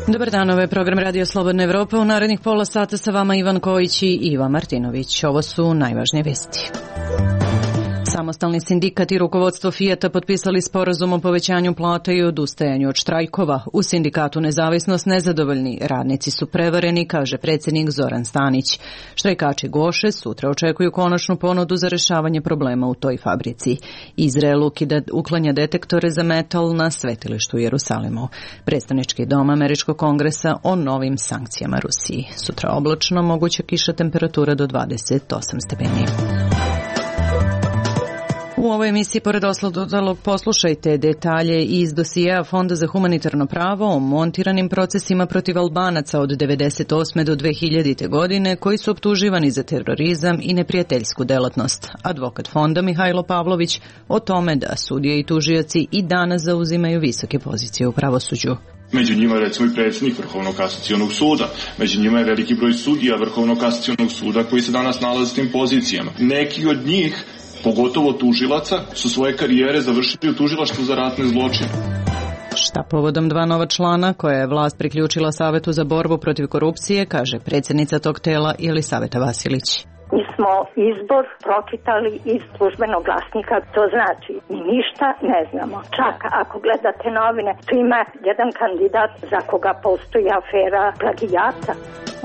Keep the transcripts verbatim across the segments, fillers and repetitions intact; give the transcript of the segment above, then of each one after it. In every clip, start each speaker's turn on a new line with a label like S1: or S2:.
S1: Dobar dan, ovo je program Radio Slobodna Evropa. U narednih pola sata sa vama Ivan Kojić i Iva Martinović. Ovo su najvažnije vesti. Samostalni sindikat i rukovodstvo Fijata potpisali sporazum o povećanju plata i odustajanju od štrajkova. U sindikatu Nezavisnost nezadovoljni, radnici su prevareni, kaže predsjednik Zoran Stanić. Štrajkači Goše sutra očekuju konačnu ponudu za rešavanje problema u toj fabrici. Izrael ukida, uklanja detektore za metal na svetilištu u Jerusalimu. Predstavnički dom Američkog kongresa o novim sankcijama Rusiji. Sutra oblačno, moguća kiša, temperatura do dvadeset osam stepeni. U ovoj emisiji, pored ostalog, poslušajte detalje iz dosijeja Fonda za humanitarno pravo o montiranim procesima protiv Albanaca od devedeset osme do dve hiljadite. godine koji su optuživani za terorizam i neprijateljsku delatnost. Advokat fonda Mihajlo Pavlović o tome da sudije i tužioci i danas zauzimaju visoke pozicije u pravosuđu.
S2: Među njima je recimo i predsjednik Vrhovnog kasacionog suda, među njima je veliki broj sudija Vrhovnog kasacionog suda koji se danas nalaze s tim pozicijama. Neki od njih, pogotovo tužilaca, su svoje karijere završili u tužilaštvu za ratne zločine.
S1: Šta povodom dva nova člana koje je vlast priključila Savetu za borbu protiv korupcije, kaže predsjednica tog tela Jelisaveta Vasilić.
S3: Mi smo izbor pročitali iz službenog glasnika, to znači mi ništa ne znamo. Čak ako gledate novine, tu ima jedan kandidat za koga postoji afera plagijata.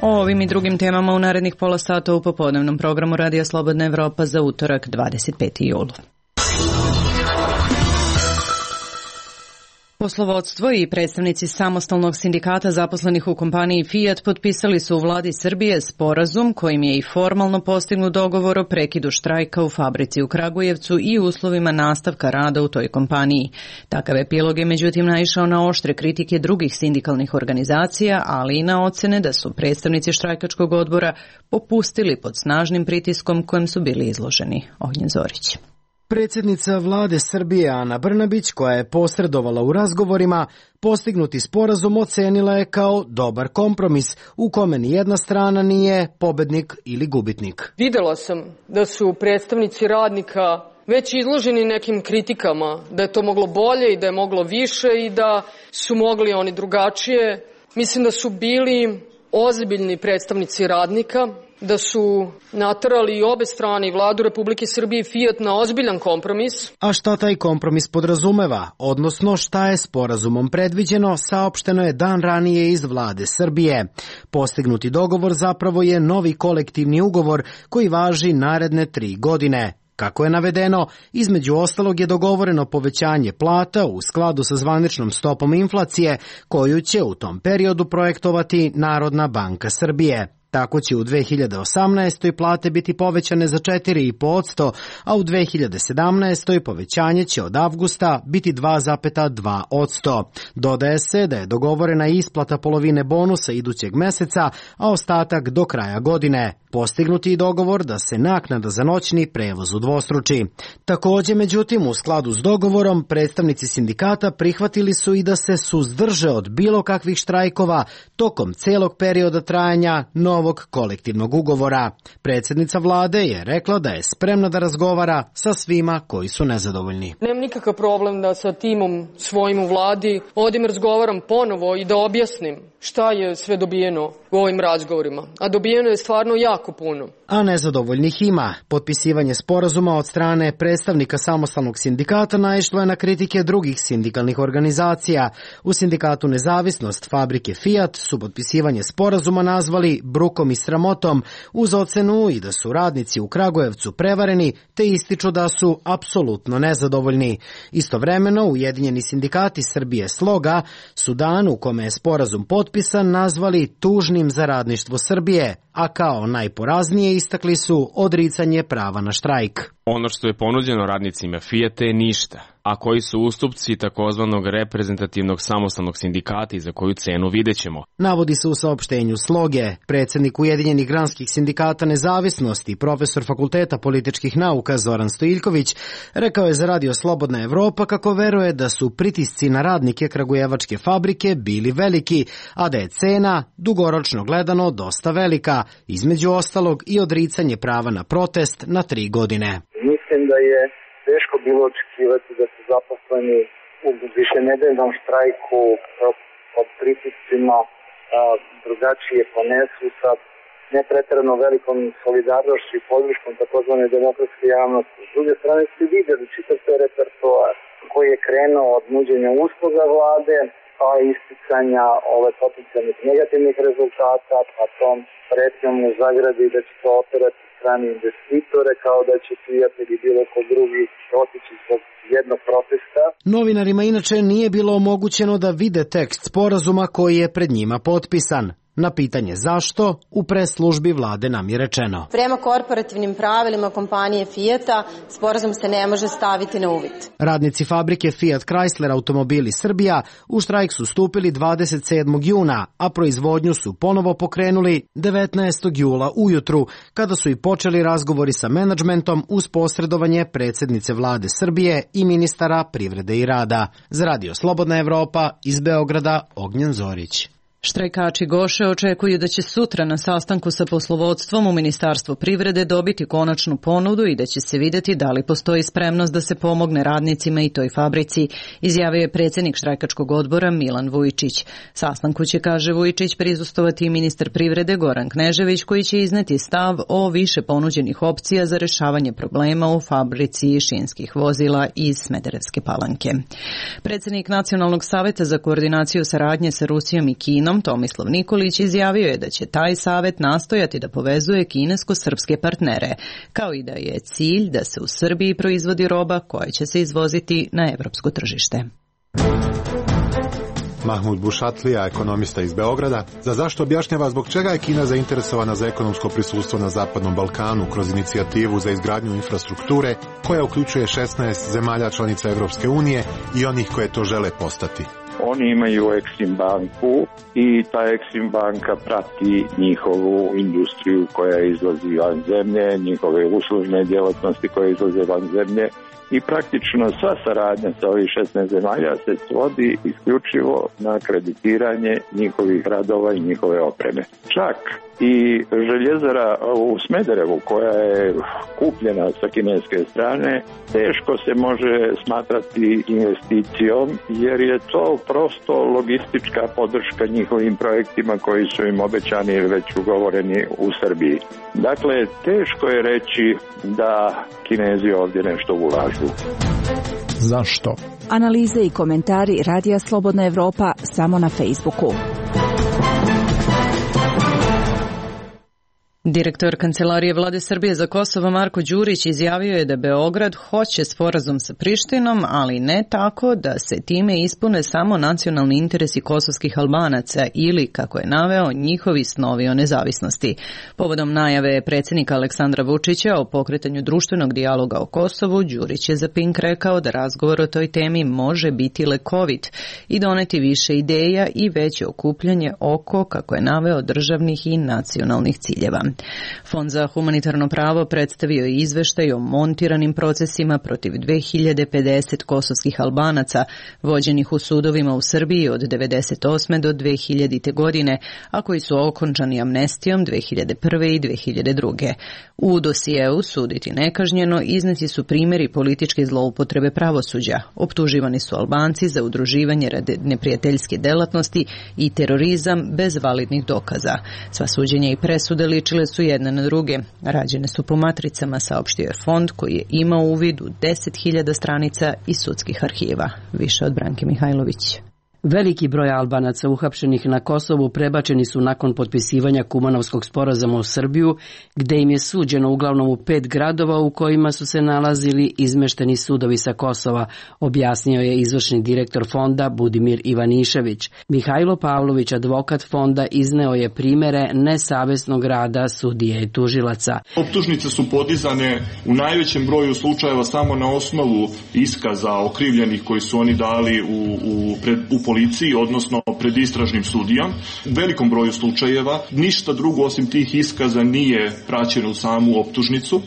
S1: O ovim i drugim temama u narednih pola sata u popodnevnom programu Radija Slobodna Evropa za utorak dvadeset peti jul. Poslovodstvo i predstavnici samostalnog sindikata zaposlenih u kompaniji Fiat potpisali su u vladi Srbije sporazum kojim je i formalno postignut dogovor o prekidu štrajka u fabrici u Kragujevcu i uslovima nastavka rada u toj kompaniji. Takav epilog je međutim naišao na oštre kritike drugih sindikalnih organizacija, ali i na ocene da su predstavnici štrajkačkog odbora popustili pod snažnim pritiskom kojem su bili izloženi. Ognjen Zorić.
S4: Predsjednica vlade Srbije Ana Brnabić, koja je posredovala u razgovorima, postignuti sporazum ocenila je kao dobar kompromis u kome ni jedna strana nije pobednik ili gubitnik.
S5: Videla sam da su predstavnici radnika već izloženi nekim kritikama, da je to moglo bolje i da je moglo više i da su mogli oni drugačije. Mislim da su bili ozbiljni predstavnici radnika, da su naterali i obe strane, i vladu Republike Srbije i Fiat, na ozbiljan kompromis.
S4: A šta taj kompromis podrazumeva, odnosno šta je sporazumom predviđeno, saopšteno je dan ranije iz vlade Srbije. Postignuti dogovor zapravo je novi kolektivni ugovor koji važi naredne tri godine. Kako je navedeno, između ostalog je dogovoreno povećanje plata u skladu sa zvaničnom stopom inflacije koju će u tom periodu projektovati Narodna banka Srbije. Tako će u dve hiljade osamnaestoj. plate biti povećane za četiri zarez pet posto, a u dve hiljade sedamnaestoj. povećanje će od avgusta biti dva zarez dva posto. Dodaje se da je dogovorena isplata polovine bonusa idućeg meseca, a ostatak do kraja godine. Postignuti i dogovor da se naknada za noćni prevoz udvostruči. Također, međutim, u skladu s dogovorom, predstavnici sindikata prihvatili su i da se suzdrže od bilo kakvih štrajkova tokom celog perioda trajanja novog kolektivnog ugovora. Predsjednica vlade je rekla da je spremna da razgovara sa svima koji su nezadovoljni.
S5: Nemam nikakav problem da sa timom svojim u vladi odim razgovaram ponovo i da objasnim šta je sve dobijeno u ovim razgovorima. A dobijeno je stvarno jako puno.
S4: A nezadovoljnih ima. Potpisivanje sporazuma od strane predstavnika samostalnog sindikata naišlo je na kritike drugih sindikalnih organizacija. U sindikatu Nezavisnost fabrike Fiat su potpisivanje sporazuma nazvali brukom i sramotom, uz ocenu i da su radnici u Kragujevcu prevareni, te ističu da su apsolutno nezadovoljni. Istovremeno, Ujedinjeni sindikati Srbije Sloga su dan u kome je sporazum potpisan nazvali tužnim za radništvo Srbije, a kao najporaznije istakli su odricanje prava na štrajk.
S6: Ono što je ponuđeno radnicima Fijata je ništa, a koji su ustupci takozvanog reprezentativnog samostalnog sindikata i za koju cenu videćemo.
S4: Navodi se u saopštenju Sloge. Predsjednik Ujedinjenih granskih sindikata Nezavisnosti, profesor Fakulteta političkih nauka Zoran Stojiljković, rekao je za Radio Slobodna Evropa kako veruje da su pritisci na radnike kragujevačke fabrike bili veliki, a da je cena dugoročno gledano dosta velika, između ostalog i odricanje prava na protest na tri godine.
S7: Mislim da je teško bilo očekivati da se zaposleni u višenedeljnom štrajku pod pritiscima drugačije ponesu sa nepreterano velikom solidarnošću i podrškom takozvane demokratske javnosti. S druge strane ste vidjeli čitav taj repertoar koji je krenuo od nuđenja usluga vlade, pa isticanja ove potencijalnih negativnih rezultata, pa tom pretnjom u zagradi da će to operati strani investitore, kao da će prijatelji bilo ko drugi otići zbog jednog protesta.
S4: Novinarima inače nije bilo omogućeno da vide tekst sporazuma koji je pred njima potpisan. Na pitanje zašto, u pres službi vlade nam je rečeno:
S8: prema korporativnim pravilima kompanije Fijata, sporazum se ne može staviti na uvid.
S4: Radnici fabrike Fiat Chrysler Automobili Srbija u štrajk su stupili dvadeset sedmog juna, a proizvodnju su ponovo pokrenuli devetnaestog jula ujutru, kada su i počeli razgovori sa menadžmentom uz posredovanje predsjednice vlade Srbije i ministara privrede i rada. Za Radio Slobodna Evropa, iz Beograda, Ognjen Zorić.
S1: Štrajkači Goše očekuju da će sutra na sastanku sa poslovodstvom u Ministarstvu privrede dobiti konačnu ponudu i da će se vidjeti da li postoji spremnost da se pomogne radnicima i toj fabrici, izjavio je predsjednik štrajkačkog odbora Milan Vujčić. Sastanku će, kaže Vujčić, prisustvovati i ministar privrede Goran Knežević, koji će izneti stav o više ponuđenih opcija za rješavanje problema u fabrici šinskih vozila iz Smederevske Palanke. Predsjednik Nacionalnog saveta za koordinaciju saradnje sa Rusijom i Kinom Tomislav Nikolić izjavio je da će taj savet nastojati da povezuje kinesko-srpske partnere, kao i da je cilj da se u Srbiji proizvodi roba koja će se izvoziti na evropsko tržište.
S9: Mahmud Bušatlija, ekonomista iz Beograda, za zašto objašnjava zbog čega je Kina zainteresovana za ekonomsko prisustvo na Zapadnom Balkanu kroz inicijativu za izgradnju infrastrukture koja uključuje šesnaest zemalja članica Evropske unije i onih koje to žele postati.
S10: Oni imaju Exim banku i ta Exim banka prati njihovu industriju koja izlazi van zemlje, njihove uslužne djelatnosti koje izlaze van zemlje i praktično sva saradnja sa ovih šesnaest zemalja se svodi isključivo na kreditiranje njihovih radova i njihove opreme. Čak i željezara u Smederevu koja je kupljena sa kineske strane teško se može smatrati investicijom jer je to prosto logistička podrška njihovim projektima koji su im obećani ili već ugovoreni u Srbiji. Dakle, teško je reći da Kinezi ovdje nešto ulažu.
S11: Zašto?
S12: Analize i komentari Radija Slobodna Evropa samo na Facebooku.
S1: Direktor Kancelarije vlade Srbije za Kosovo Marko Đurić izjavio je da Beograd hoće sporazum sa Prištinom, ali ne tako da se time ispune samo nacionalni interesi kosovskih Albanaca ili, kako je naveo, njihovi snovi o nezavisnosti. Povodom najave predsjednika Aleksandra Vučića o pokretanju društvenog dijaloga o Kosovu, Đurić je za Pink rekao da razgovor o toj temi može biti lekovit i doneti više ideja i veće okupljanje oko, kako je naveo, državnih i nacionalnih ciljeva. Fond za humanitarno pravo predstavio je izveštaj o montiranim procesima protiv dve hiljade pedeset kosovskih Albanaca vođenih u sudovima u Srbiji od devedeset osme do dve hiljadite godine, a koji su okončani amnestijom dve hiljade prve i dve hiljade druge. U dosijeu Suditi nekažnjeno izneti su primjeri političke zloupotrebe pravosuđa. Optuživani su Albanci za udruživanje radi neprijateljske delatnosti i terorizam bez validnih dokaza. Sva suđenja i presude ličile su jedne na druge. Rađene su po matricama, saopštio je fond koji je imao uvid u deset hiljada stranica iz sudskih arhiva. Više od Branke Mihajlović.
S13: Veliki broj Albanaca uhapšenih na Kosovu prebačeni su nakon potpisivanja Kumanovskog sporazuma u Srbiju, gde im je suđeno uglavnom u pet gradova u kojima su se nalazili izmešteni sudovi sa Kosova, objasnio je izvršni direktor fonda Budimir Ivanišević. Mihajlo Pavlović, advokat fonda, izneo je primere nesavesnog rada sudije i tužilaca.
S2: Optužnice su podizane u najvećem broju slučajeva samo na osnovu iskaza okrivljenih koji su oni dali u, u, pred, u policiji, odnosno pred istražnim sudijom. U velikom broju slučajeva ništa drugo osim tih iskaza nije praćeno u samu optužnicu.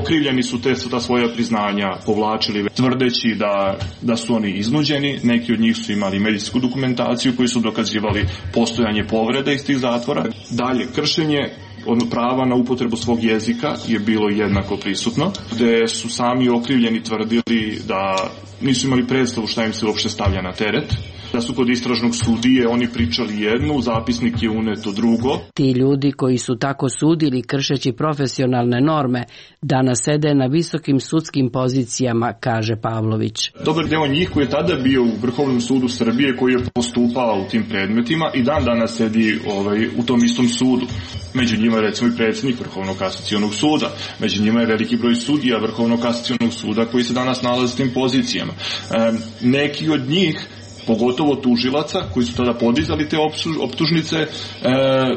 S2: Okrivljeni su te ta svoja priznanja povlačili tvrdeći da, da su oni iznuđeni. Neki od njih su imali medicinsku dokumentaciju koji su dokazivali postojanje povrede iz tih zatvora. Dalje, kršenje od prava na upotrebu svog jezika je bilo jednako prisutno, gde su sami okrivljeni tvrdili da nisu imali predstavu šta im se uopšte stavlja na teret. Da su kod istražnog sudije oni pričali jedno, u zapisnik je uneto drugo.
S13: Ti ljudi koji su tako sudili kršeći profesionalne norme danas sede na visokim sudskim pozicijama, kaže Pavlović.
S2: Dobar deo njih koji je tada bio u Vrhovnom sudu Srbije, koji je postupao u tim predmetima i dan danas sedi ovaj, u tom istom sudu. Među njima je recimo i predsjednik Vrhovnog kasacionog suda, među njima je veliki broj sudija Vrhovnog kasacionog suda koji se danas nalaze u tim pozicijama. E, neki od njih, pogotovo tužilaca koji su tada podizali te optužnice, e,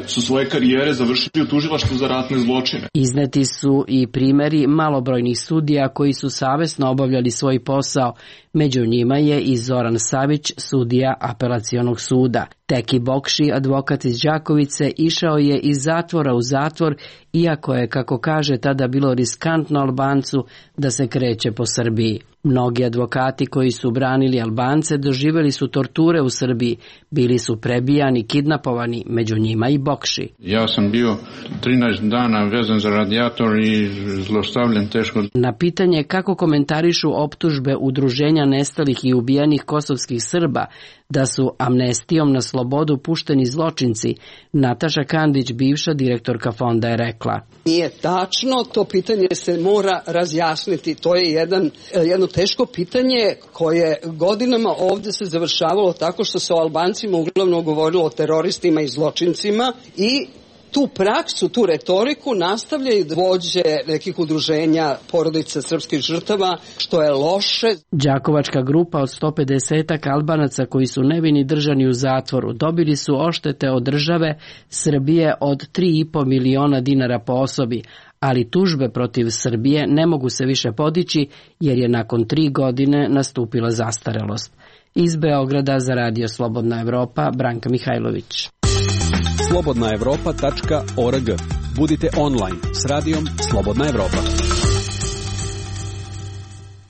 S2: su svoje karijere završili u tužilaštvu za ratne zločine.
S13: Izneti su i primjeri malobrojnih sudija koji su savesno obavljali svoj posao. Među njima je i Zoran Savić, sudija apelacionog suda. Teki Bokši, advokat iz Đakovice, išao je iz zatvora u zatvor, iako je, kako kaže, tada bilo riskantno Albancu da se kreće po Srbiji. Mnogi advokati koji su branili Albance doživjeli su torture u Srbiji, bili su prebijani, kidnapovani, među njima i Bokši.
S14: Ja sam bio trinaest dana vezan za radijator i zlostavljen teško.
S13: Na pitanje kako komentarišu optužbe udruženja nestalih i ubijenih kosovskih Srba da su amnestijom na slobodu pušteni zločinci, Nataša Kandić, bivša direktorka fonda, je rekla:
S15: Nije tačno, to pitanje se mora razjasniti. To je jedan, jedno teško pitanje koje godinama ovdje se završavalo tako što se o Albancima uglavnom govorilo o teroristima i zločincima i tu praksu, tu retoriku nastavljaju vođe nekih udruženja porodica srpskih žrtava, što je loše.
S13: Đakovačka grupa od sto pedeset Albanaca koji su nevini držani u zatvoru dobili su oštete od države Srbije od tri i po miliona dinara po osobi, ali tužbe protiv Srbije ne mogu se više podići jer je nakon tri godine nastupila zastarelost. Iz Beograda za Radio Slobodna Evropa, Branka Mihajlović.
S16: slobodna evropa tačka org. Budite online s radijom Slobodna Evropa.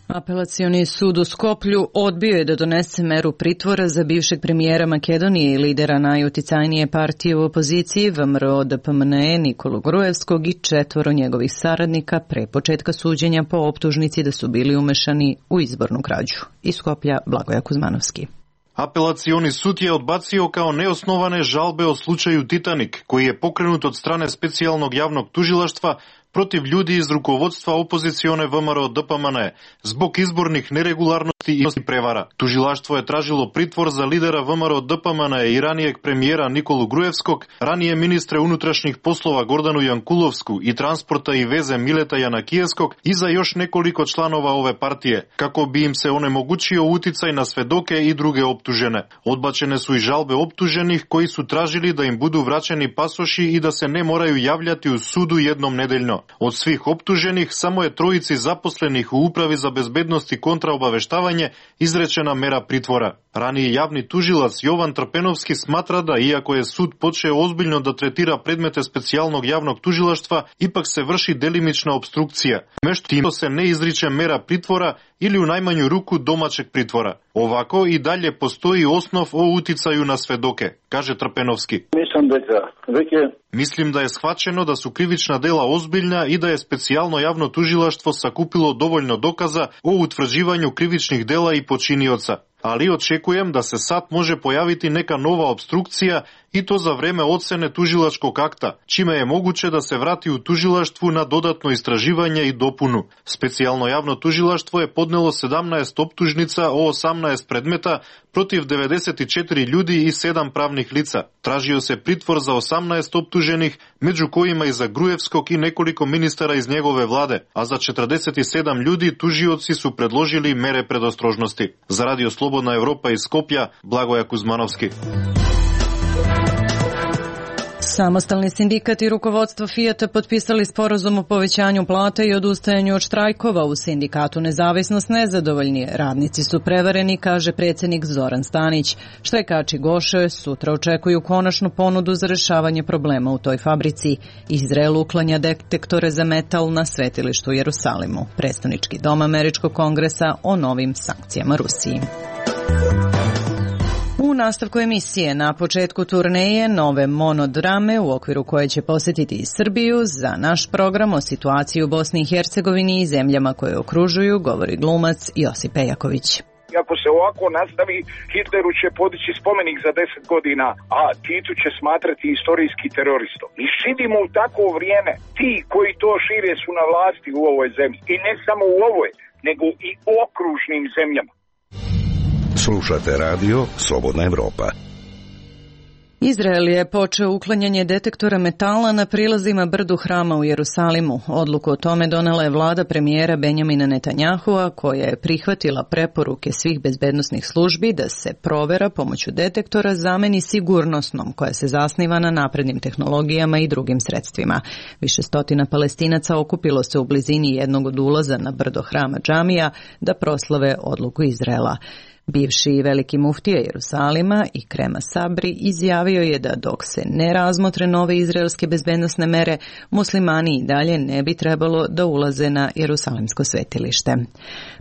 S1: Apelacioni sud u Skoplju odbio je da donese meru pritvora za bivšeg premijera Makedonije i lidera najuticajnije partije u opoziciji V M R O D P M N E Nikolu Gruevskog i četvoro njegovih saradnika pre početka suđenja po optužnici da su bili umešani u izbornu krađu. Iz Skoplja, Blagoja Kuzmanovski.
S17: Apelacioni sud je odbacio kao neosnovane žalbe o slučaju Titanik, koji je pokrenut od strane specijalnog javnog tužilaštva protiv ljudi iz rukovodstva opozicione V M R O D P M N E zbog izbornih neregularnosti i prevara. Tužilaštvo je tražilo pritvor za lidera V M R O D P M N E i ranijeg premijera Nikolu Gruevskog, ranije ministre unutrašnjih poslova Gordanu Jankulovsku i transporta i veze Mileta Janakijevskog i za još nekoliko članova ove partije, kako bi im se onemogućio uticaj na svedoke i druge optužene. Odbačene su i žalbe optuženih koji su tražili da im budu vraćeni pasoši i da se ne moraju javljati u sudu jednom nedeljno. Od svih optuženih samo je trojici zaposlenih u Upravi za bezbednost i kontraobaveštavanje izrečena mera pritvora. Raniji javni tužilac Jovan Trpenovski smatra da, iako je sud počeo ozbiljno da tretira predmete specijalnog javnog tužilaštva, ipak se vrši delimična obstrukcija. Mešto tim se ne izriče mera pritvora ili u najmanju ruku domaćeg pritvora. Ovako i dalje postoji osnov o uticaju na svedoke, kaže Trpenovski.
S10: Mislim da je
S17: Mislim da je shvaćeno da su krivična dela ozbiljna i da je specijalno javno tužilaštvo sakupilo dovoljno dokaza o utvrđivanju krivičnih dela i počinioca. Ali očekujem da se sad može pojaviti neka nova obstrukcija i to za vreme ocene tužilačkog akta, čime je moguće da se vrati u tužilaštvu na dodatno istraživanje i dopunu. Specijalno javno tužilaštvo je podnelo sedamnaest optužnica o osamnaest predmeta protiv devedeset četiri ljudi i sedam pravnih lica. Tražio se pritvor za osamnaest optuženih, među kojima i za Gruevskog i nekoliko ministara iz njegove vlade, a za četrdeset sedam ljudi tužioci su predložili mere predostrožnosti. Za Radio Slobodna Evropa iz Skoplja, Blagoja Kuzmanovski.
S1: Samostalni sindikat i rukovodstvo Fijata potpisali sporazum o povećanju plata i odustajanju od štrajkova. U sindikatu Nezavisnost nezadovoljni. Radnici su prevareni, kaže predsjednik Zoran Stanić. Štrajkači Goše sutra očekuju konačnu ponudu za rešavanje problema u toj fabrici. Izrael uklanja detektore za metal na svetilištu u Jerusalimu. Predstavnički dom Američkog kongresa o novim sankcijama Rusiji. U nastavku emisije na početku turneje nove monodrame u okviru koje će posjetiti i Srbiju, za naš program o situaciji u Bosni i Hercegovini i zemljama koje okružuju govori glumac Josip Pejaković.
S18: Ako se ovako nastavi, Hitleru će podići spomenik za deset godina, a Titu će smatrati istorijski teroristom. I živimo u takvo vrijeme. Ti koji to šire su na vlasti u ovoj zemlji. I ne samo u ovoj, nego i u okružnim zemljama.
S19: Slušate radio Slobodna Evropa.
S1: Izrael je počeo uklanjanje detektora metala na prilazima brdu Hrama u Jerusalimu. Odluku o tome donela je vlada premijera Benjamina Netanjahua, koja je prihvatila preporuke svih bezbednosnih službi da se provera pomoću detektora zameni sigurnosnom, koja se zasniva na naprednim tehnologijama i drugim sredstvima. Više stotina Palestinaca okupilo se u blizini jednog od ulaza na brdo Hrama džamija da proslave odluku Izraela. Bivši veliki muftija Jerusalima i Krema Sabri izjavio je da dok se ne razmotre nove izraelske bezbednosne mere, muslimani i dalje ne bi trebalo da ulaze na Jerusalimsko svetilište.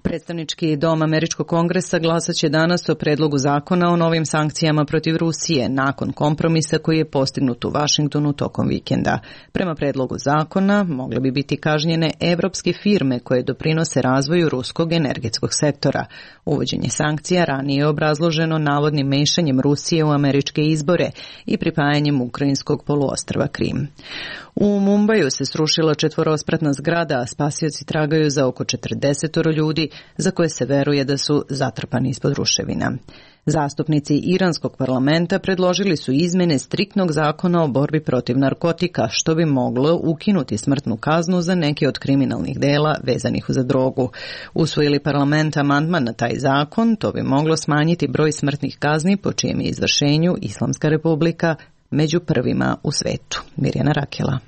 S1: Predstavnički dom Američkog kongresa glasat će danas o predlogu zakona o novim sankcijama protiv Rusije nakon kompromisa koji je postignut u Vašingtonu tokom vikenda. Prema predlogu zakona mogle bi biti kažnjene evropske firme koje doprinose razvoju ruskog energetskog sektora. Uvođenje sankcija ranije je obrazloženo navodnim mešanjem Rusije u američke izbore i pripajanjem ukrajinskog poluostrva Krim. U Mumbaju se srušila četvorospratna zgrada, a spasioci tragaju za oko četrdeset ljudi za koje se veruje da su zatrpani ispod ruševina. Zastupnici iranskog parlamenta predložili su izmene striktnog zakona o borbi protiv narkotika, što bi moglo ukinuti smrtnu kaznu za neke od kriminalnih dela vezanih za drogu. Usvojili parlament amandman na taj zakon, to bi moglo smanjiti broj smrtnih kazni po čijem je izvršenju Islamska republika među prvima u svetu. Mirjana Rakela.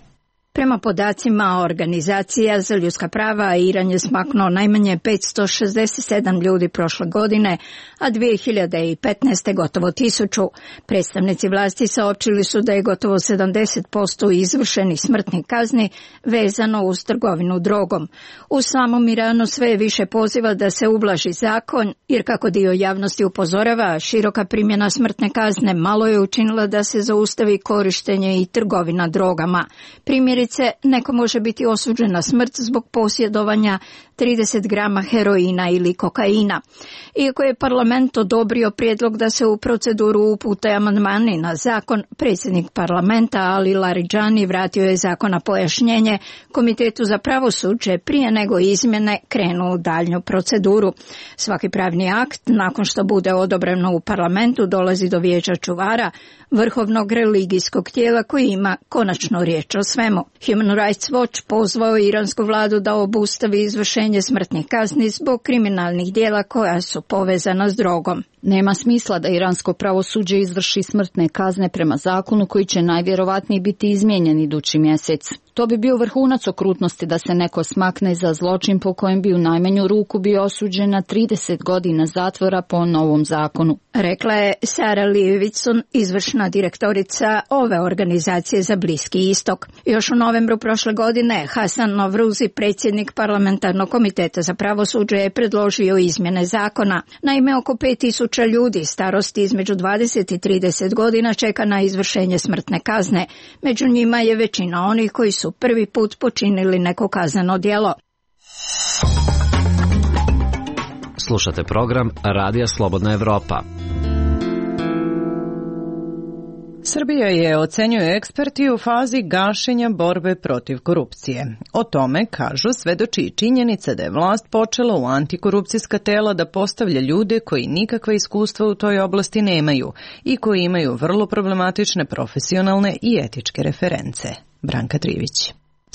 S20: Prema podacima Organizacija za ljudska prava, Iran je smaknuo najmanje petsto šezdeset sedam ljudi prošle godine, a dvije hiljade petnaeste. gotovo tisuću. Predstavnici vlasti saopćili su da je gotovo sedamdeset posto izvršenih smrtnih kazni vezano uz trgovinu drogom. U samom Iranu sve je više poziva da se ublaži zakon, jer kako dio javnosti upozorava, široka primjena smrtne kazne malo je učinila da se zaustavi korištenje i trgovina drogama. Primjeri neko može biti osuđen na smrt zbog posjedovanja trideset grama heroina ili kokaina. Iako je parlament odobrio prijedlog da se u proceduru upute amandmani na zakon, predsjednik parlamenta Ali Laridžani vratio je zakon na pojašnjenje Komitetu za pravosuđe prije nego izmjene krenu u daljnju proceduru. Svaki pravni akt, nakon što bude odobreno u parlamentu, dolazi do vijeća čuvara, vrhovnog religijskog tijela koji ima konačnu riječ o svemu. Human Rights Watch pozvao iransku vladu da obustavi izvršenje smrtnih kazni zbog kriminalnih djela koja su povezana s drogom.
S21: Nema smisla da iransko pravosuđe izvrši smrtne kazne prema zakonu koji će najvjerovatnije biti izmijenjen idući mjesec. To bi bio vrhunac okrutnosti da se neko smakne za zločin po kojem bi u najmanju ruku bio osuđen na trideset godina zatvora po novom zakonu.
S20: Rekla je Sara Livicon, izvršna direktorica ove organizacije za Bliski istok. Još u novembru prošle godine Hasan Novruzi, predsjednik parlamentarnog komiteta za pravosuđe, je predložio izmjene zakona. Naime, oko pet tisuća ljudi starosti između dvadeset i trideset godina čeka na izvršenje smrtne kazne. Među njima je većina onih koji su prvi put počinili neko kazneno djelo.
S22: Slušate program Radija Slobodna Evropa.
S1: Srbija je, ocenjuju eksperti, u fazi gašenja borbe protiv korupcije. O tome, kažu, svedoči i činjenica da je vlast počela u antikorupcijska tela da postavlja ljude koji nikakva iskustva u toj oblasti nemaju i koji imaju vrlo problematične profesionalne i etičke reference. Branka Trivić.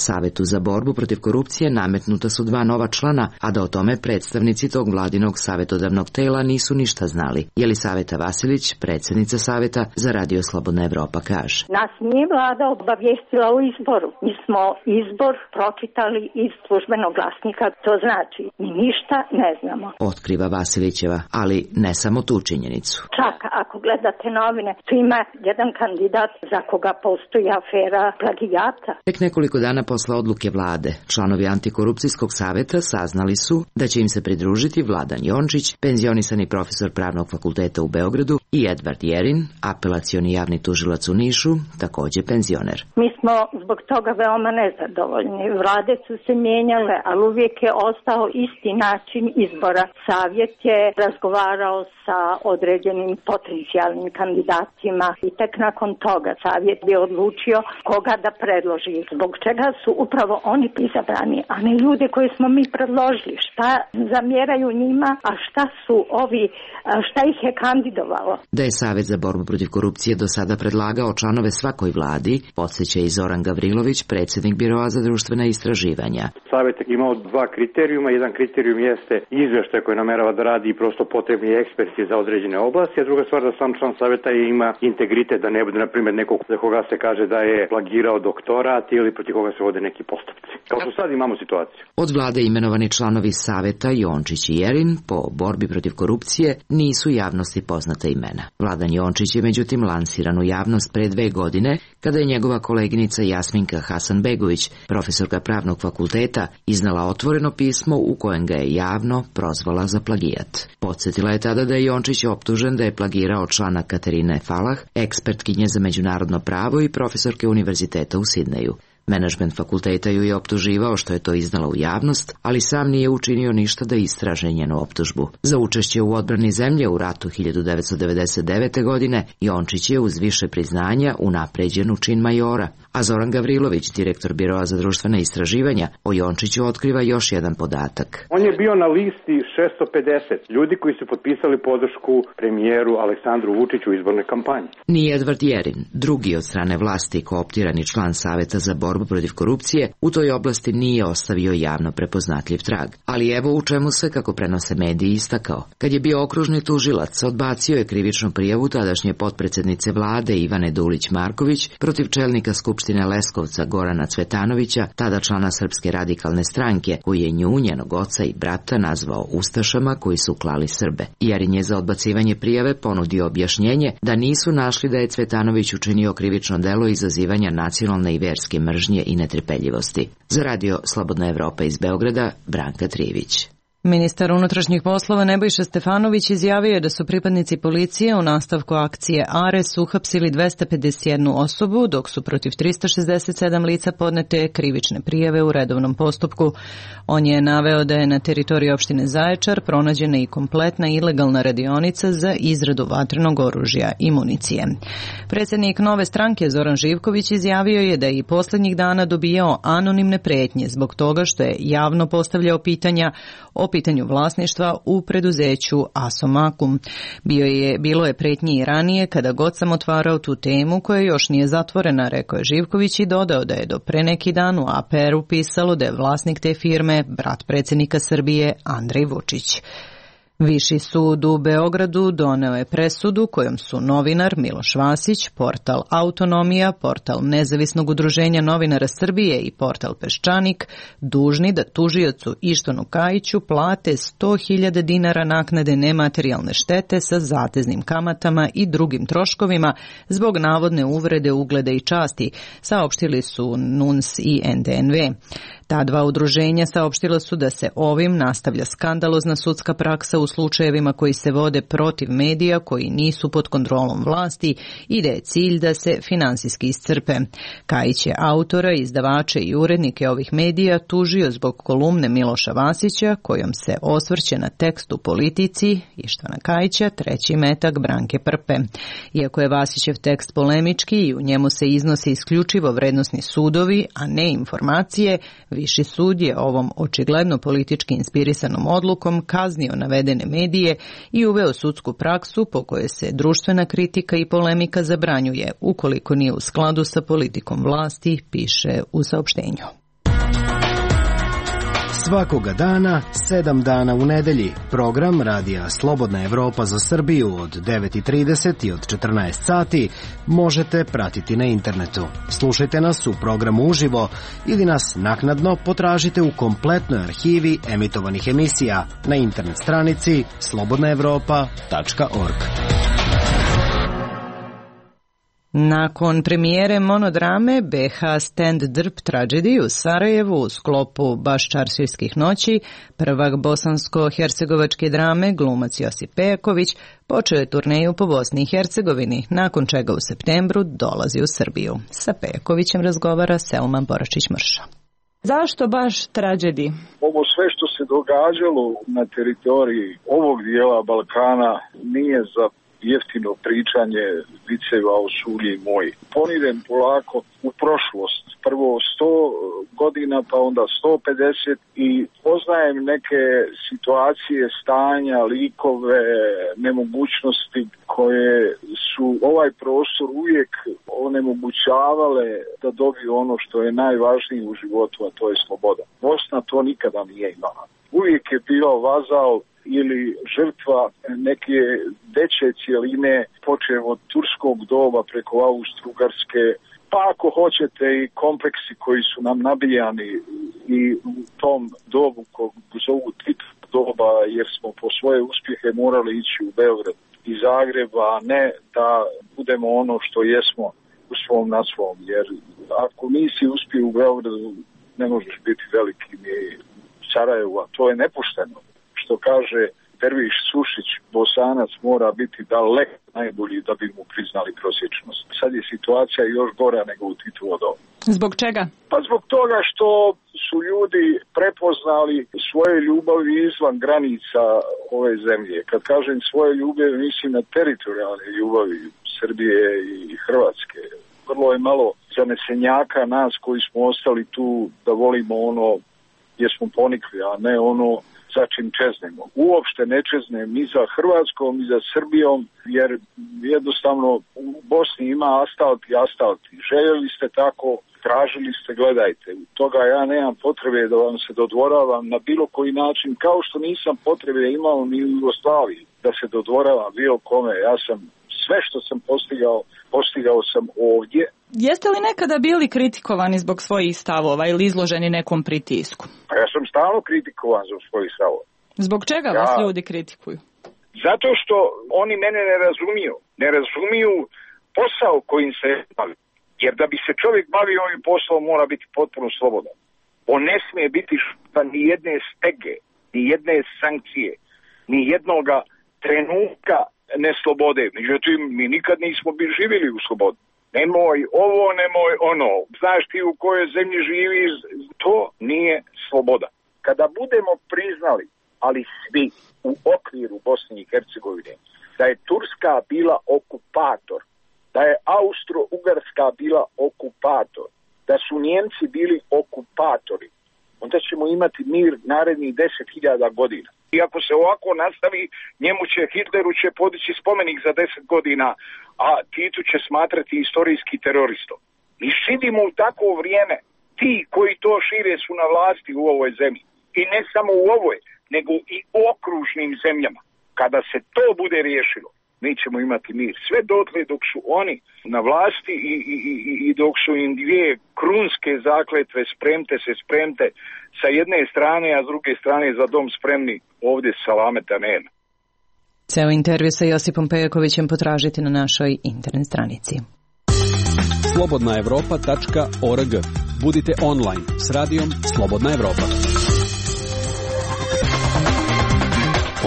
S23: Savetu za borbu protiv korupcije nametnuta su dva nova člana, a da o tome predstavnici tog vladinog savjetodavnog tela nisu ništa znali. Jelisaveta Vasilić, predsjednica Saveta za Radio Slobodna Evropa, kaže.
S3: Nas nije vlada obavijestila o izboru. Mi smo izbor pročitali iz službenog glasnika, to znači mi ništa ne znamo.
S23: Otkriva Vasilićeva, ali ne samo tu činjenicu.
S3: Čak ako gledate novine, tu ima jedan kandidat za koga postoji afera plagijata.
S23: Tek nekoliko dana dana posle odluke vlade, članovi Antikorupcijskog saveta saznali su da će im se pridružiti Vladan Jončić, penzionisani profesor Pravnog fakulteta u Beogradu, i Edvard Jerin, apelacioni javni tužilac u Nišu, takođe penzioner.
S3: Mi smo zbog toga veoma nezadovoljni. Vlade su se mijenjale, ali uvijek je ostao isti način izbora. Savjet je razgovarao sa određenim potencijalnim kandidatima i tek nakon toga savjet je odlučio koga da predloži. Zbog čega su upravo oni izabrani, a ne ljude koje smo mi predložili. Šta zamjeraju njima, a šta su ovi, šta ih je kandidovalo?
S23: Da je Savet za borbu protiv korupcije do sada predlagao članove svakoj vladi, podsjeća i Zoran Gavrilović, predsjednik Biroa za društvena istraživanja.
S5: Savet je imao dva kriterijuma. Jedan kriterijum jeste izveštaj koji namerava da radi prosto potrebni eksperti za određene oblasti, a druga stvar da sam član saveta ima integritet, da ne bude, na primjer, nekog za koga se kaže da je plagirao doktorat ili protiv koga se vode neki postupci. Kao što sad imamo situaciju.
S23: Od vlade imenovani članovi saveta Jončić i Jerin po borbi protiv korupcije nisu javnosti poznata imena. Vladan Jončić je međutim lansiran u javnost pre dve godine kada je njegova koleginica Jasminka Hasanbegović, profesorka Pravnog fakulteta, iznala otvoreno pismo u kojem ga je javno prozvala za plagijat. Podsjetila je tada da je Jončić optužen da je plagirao člana Katarine Falah, ekspertkinje za međunarodno pravo i profesorke univerziteta u Sidneju. Menadžment fakulteta ju je optuživao što je to iznala u javnost, ali sam nije učinio ništa da istraže njenu optužbu. Za učešće u odbrani zemlje u ratu hiljadu devetsto devedeset devete. godine Jončić je uz više priznanja unapređen u čin majora, a Zoran Gavrilović, direktor Biroa za društvena istraživanja, o Jončiću otkriva još jedan podatak.
S5: On je bio na listi šesto pedeset ljudi koji su potpisali podršku premijeru Aleksandru Vučiću u izbornoj kampanji.
S23: Ni Edvard Jerin, drugi od strane vlasti kooptirani član Saveta za borbu protiv korupcije, u toj oblasti nije ostavio javno prepoznatljiv trag. Ali evo u čemu se, kako prenose mediji, istakao. Kad je bio okružni tužilac, odbacio je krivičnu prijavu tadašnje potpredsednice vlade Ivane Dulić-Marković protiv čelnika Skupštine Leskovca Gorana Cvetanovića, tada člana Srpske radikalne stranke, koji je nju, njenog oca i brata nazvao ustašama koji su klali Srbe. Jerin je za odbacivanje prijave ponudio objašnjenje da nisu našli da je Cvetanović učinio krivično delo izazivanja nacionalne i verske mržnje i netrpeljivosti. Za radio Slobodna Evropa iz Beograda, Branka Trivić.
S1: Ministar unutrašnjih poslova Nebojša Stefanović izjavio je da su pripadnici policije u nastavku akcije Ares uhapsili dvesta pedeset jednu osobu, dok su protiv trista šezdeset sedam lica podnete krivične prijave u redovnom postupku. On je naveo da je na teritoriji opštine Zaječar pronađena i kompletna ilegalna radionica za izradu vatrenog oružja i municije. Predsjednik Nove stranke Zoran Živković izjavio je da je i posljednjih dana dobijao anonimne pretnje zbog toga što je javno postavljao pitanja o pitanju vlasništva u preduzeću Asomakum. Bio je, bilo je pretnji i ranije kada god sam otvarao tu temu koja još nije zatvorena, rekao je Živković i dodao da je do pre neki dan u A P R-u pisalo da je vlasnik te firme brat predsjednika Srbije Andrej Vučić. Viši sud u Beogradu doneo je presudu kojom su novinar Miloš Vasić, portal Autonomija, portal Nezavisnog udruženja novinara Srbije i portal Peščanik dužni da tužiocu Ištvanu Kajiću plate sto hiljada dinara naknade nematerijalne štete sa zateznim kamatama i drugim troškovima zbog navodne uvrede ugleda i časti, saopštili su N U N S i N D N V. Ta dva udruženja saopštila su da se ovim nastavlja skandalozna sudska praksa u slučajevima koji se vode protiv medija koji nisu pod kontrolom vlasti i da je cilj da se finansijski iscrpe. Kajić je autora, izdavače i urednike ovih medija tužio zbog kolumne Miloša Vasića kojom se osvrće na tekst u Politici Ištvana Kajića, treći metak Branke Prpe. Iako je Vasićev tekst polemički i u njemu se iznose isključivo vrednosni sudovi, a ne informacije, Viši sud je ovom očigledno politički inspirisanom odlukom kaznio navedene medije i uveo sudsku praksu po kojoj se društvena kritika i polemika zabranjuje ukoliko nije u skladu sa politikom vlasti, piše u saopštenju.
S4: Svakoga dana, sedam dana u nedelji, program Radija Slobodna Evropa za Srbiju od devet i trideset i od četrnaest sati možete pratiti na internetu. Slušajte nas u programu uživo ili nas naknadno potražite u kompletnoj arhivi emitovanih emisija na internet stranici slobodna evropa tačka org.
S1: Nakon premijere monodrame B H Stand Drp Tragedy u Sarajevu u sklopu Baščaršijskih noći, prvak bosansko-hercegovačke drame, glumac Josip Pejaković, počeo je turneju po Bosni i Hercegovini, nakon čega u septembru dolazi u Srbiju. Sa Pejakovićem razgovara Selma Boračić-Mrša.
S6: Zašto baš Tragedy?
S18: Ovo sve što se događalo na teritoriji ovog dijela Balkana nije za jeftino pričanje viceva o sulji moji. Ponidem polako u prošlost. Prvo sto godina, pa onda sto pedeset i poznajem neke situacije, stanja, likove, nemogućnosti koje su ovaj prostor uvijek onemogućavale da dobiju ono što je najvažnije u životu, a to je sloboda. Bosna to nikada nije imala. Uvijek je bio vazal ili žrtva neke veće cijeline, počev od turskog doba preko Austro-Ugarske, pa ako hoćete i kompleksi koji su nam nabijani i u tom dobu kog zovu Tito doba, jer smo po svoje uspjehe morali ići u Beograd i Zagreb, a ne da budemo ono što jesmo u svom na svom, jer ako nisi uspio u Beogradu ne možeš biti veliki ni Sarajevu, a to je nepošteno. Što kaže Derviš Sušić, Bosanac mora biti daleko najbolji da bi mu priznali prosječnost. Sad je situacija još gora nego u Titovo doba.
S6: Zbog čega?
S18: Pa zbog toga što su ljudi prepoznali svoje ljubavi izvan granica ove zemlje. Kad kažem svoje ljubavi, mislim na teritorijalne ljubavi Srbije i Hrvatske. Vrlo je malo zanesenjaka nas koji smo ostali tu da volimo ono gdje smo ponikli, a ne ono za čim čeznemo. Uopšte ne čeznem ni za Hrvatskom, ni za Srbijom, jer jednostavno u Bosni ima asfalt i asfalt. Željeli ste tako, tražili ste, gledajte. Toga ja nemam potrebe da vam se dodvoravam na bilo koji način, kao što nisam potrebe imao ni u Jugoslaviji da se dodvoravam bilo kome. Ja sam sve što sam postigao, postigao sam ovdje.
S6: Jeste li nekada bili kritikovani zbog svojih stavova ili izloženi nekom pritisku?
S18: Pa ja sam stalno kritikovan zbog svojih stavova.
S6: Zbog čega
S18: ja,
S6: vas ljudi kritikuju?
S18: Zato što oni mene ne razumiju. Ne razumiju posao kojim se bavi. Jer da bi se čovjek bavio ovim poslom mora biti potpuno slobodan. On ne smije biti šupan ni jedne stege, ni jedne sankcije, ni jednoga trenutka neslobode. Međutim, mi nikad nismo bili živjeli u slobodi. Nemoj ovo, nemoj ono. Znaš ti u kojoj zemlji živiš, to nije sloboda. Kada budemo priznali, ali svi u okviru Bosne i Hercegovine, da je Turska bila okupator, da je Austro-Ugarska bila okupator, da su Njemci bili okupatori, onda ćemo imati mir narednih deset hiljada godina. I ako se ovako nastavi, njemu će, Hitleru će podići spomenik za deset godina, a Titu će smatrati istorijski teroristom. Mi živimo u takvo vrijeme. Ti koji to šire su na vlasti u ovoj zemlji. I ne samo u ovoj, nego i u okružnim zemljama. Kada se to bude riješilo, mi ćemo imati mir. Sve dotle dok su oni na vlasti i, i, i, i dok su im dvije krunske zakletve spremte se spremte sa jedne strane, a s druge strane za dom spremni, ovdje salameta nema.
S1: Ceo intervju sa Josipom Pejakovićem potražite na našoj internet stranici.
S16: slobodna evropa tačka org. Budite online s radijom Slobodna Evropa.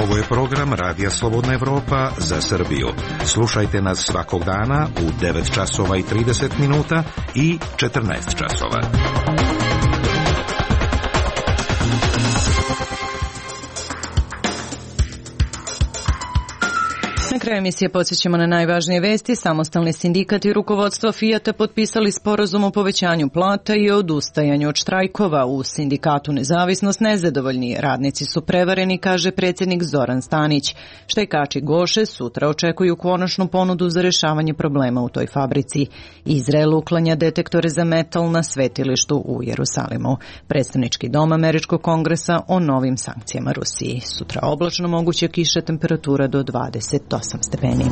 S19: Ovo je program Radija Slobodna Evropa za Srbiju. Slušajte nas svakog dana u devet časova i trideset minuta i četrnaest časova.
S1: Na kraju emisije podsjećamo na najvažnije vesti. Samostalni sindikat i rukovodstvo Fijata potpisali sporazum o povećanju plata i odustajanju od štrajkova. U sindikatu Nezavisnost nezadovoljni. Radnici su prevareni, kaže predsjednik Zoran Stanić. Štajkači Goše sutra očekuju konačnu ponudu za rješavanje problema u toj fabrici. Izrael uklanja detektore za metal na svetilištu u Jerusalimu. Predstavnički dom Američkog kongresa o novim sankcijama Rusiji. Sutra oblačno, moguće kiše, temperatura do dvadeset osam stepeni.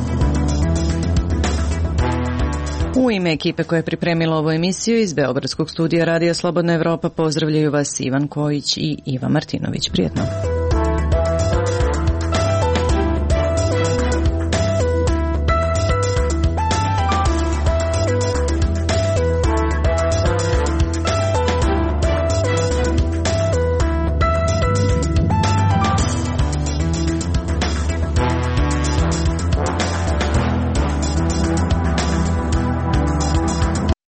S1: U ime ekipe koja je pripremila ovu emisiju iz Beogradskog studija Radija Slobodna Evropa pozdravljaju vas Ivan Kojić i Iva Martinović. Prijetno.